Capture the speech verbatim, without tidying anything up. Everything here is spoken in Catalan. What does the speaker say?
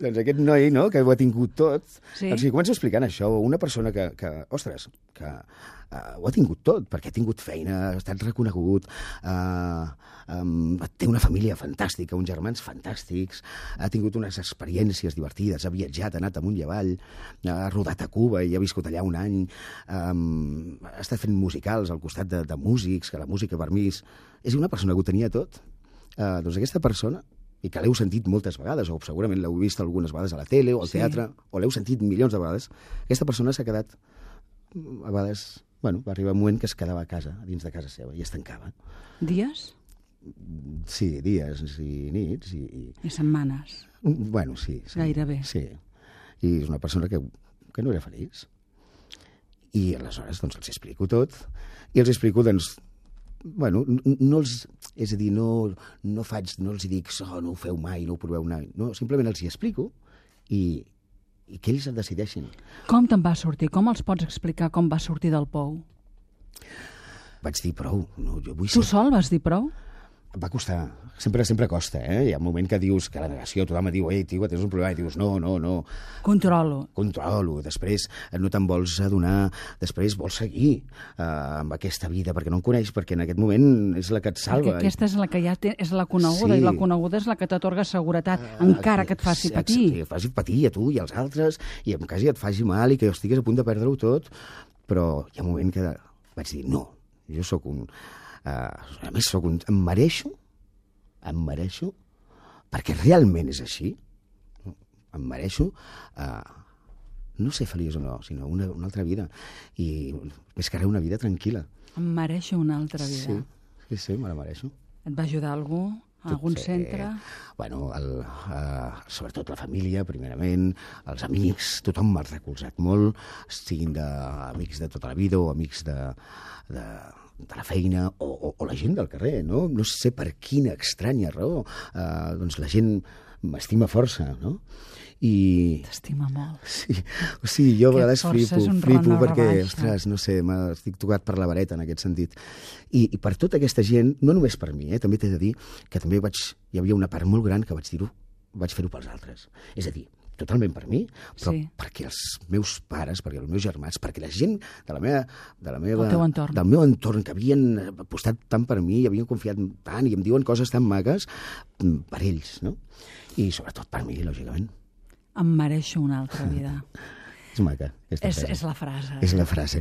Doncs aquest noi, no?, que ho ha tingut tot, Sí. doncs li començo explicant això, una persona que, que ostres, que uh, ho ha tingut tot, perquè ha tingut feina, ha estat reconegut, uh, um, té una família fantàstica, uns germans fantàstics, ha tingut unes experiències divertides, ha viatjat, ha anat amunt i avall, ha rodat a Cuba i ha viscut allà un any, um, ha estat fent musicals al costat de, de músics, que la música per mi és, és una persona que ho tenia tot. Uh, doncs aquesta persona, i que l'heu sentit moltes vegades, o segurament l'heu vist algunes vegades a la tele o al Sí. teatre, o l'heu sentit milions de vegades, aquesta persona s'ha quedat, a vegades, bueno, va arribar un moment que es quedava a casa, a dins de casa seva, i es tancava. Dies Sí, dies i nits, i... i... i setmanes. Bueno, sí. sí Gairebé. Sí. I és una persona que, que no era feliç. I aleshores, doncs, els explico tot, i els explico, doncs, bueno, no els, és a dir, no, no faig, no els dic, oh, no ho feu mai, no ho proveu mai, no, simplement els hi explico i, i que ells decideixin. Com te'n va sortir? Com els pots explicar com va sortir del pou? Vaig dir, prou, no, jo vull Tu ser... sol vas dir prou? Va costar, sempre sempre costa, eh? Hi ha un moment que dius, que la negació, tothom et diu, ei, tio, tens un problema, i dius, no, no, no, Controlo. controlo, després no te'n vols adonar, després vols seguir eh, amb aquesta vida, perquè no en coneix, perquè en aquest moment és la que et salva. Perquè aquesta és la que ja té, és la coneguda, Sí. i la coneguda és la que t'atorga seguretat, encara que et faci Sí, patir. Que et faci patir a tu i als altres, i en quasi et faci mal i que estigues a punt de perdre-ho tot, però hi ha un moment que vaig dir, no, jo sóc un... Uh, a més, sóc un... em mereixo, em mereixo, perquè realment és així, em mereixo uh, no ser feliç o no, sinó una, una altra vida, i més que res una vida tranquil·la. Em mereixo una altra vida. Sí, sí, sí, me la mereixo. Et va ajudar algú? Algun Sí. centre? Bueno, el, uh, sobretot la família, primerament, els amics, tothom m'ha recolzat molt, siguin de, amics de tota la vida o amics de, de, de la feina o, o, o la gent del carrer, no? No sé per quina estranya raó, uh, doncs la gent m'estima força, no? I... T'estima molt. Sí, o sigui, jo a Que vegades força flipo, és un flipo Ronald perquè, Rebaixa. ostres, no sé, m'estic tocat per la vareta en aquest sentit. I, i per tota aquesta gent, no només per mi, eh, també t'he de dir que també vaig, hi havia una part molt gran que vaig dir-ho, vaig fer-ho pels altres. És a dir, totalment per mi, però Sí. perquè els meus pares, perquè els meus germans, perquè la gent de la meva, de la meva, El teu entorn. del meu entorn, que havien apostat tant per mi, havien confiat tant i em diuen coses tan maques, per ells, no? I sobretot per mi, lògicament. Em mereixo una altra vida. És maca, aquesta És, frase. és la frase. És la frase.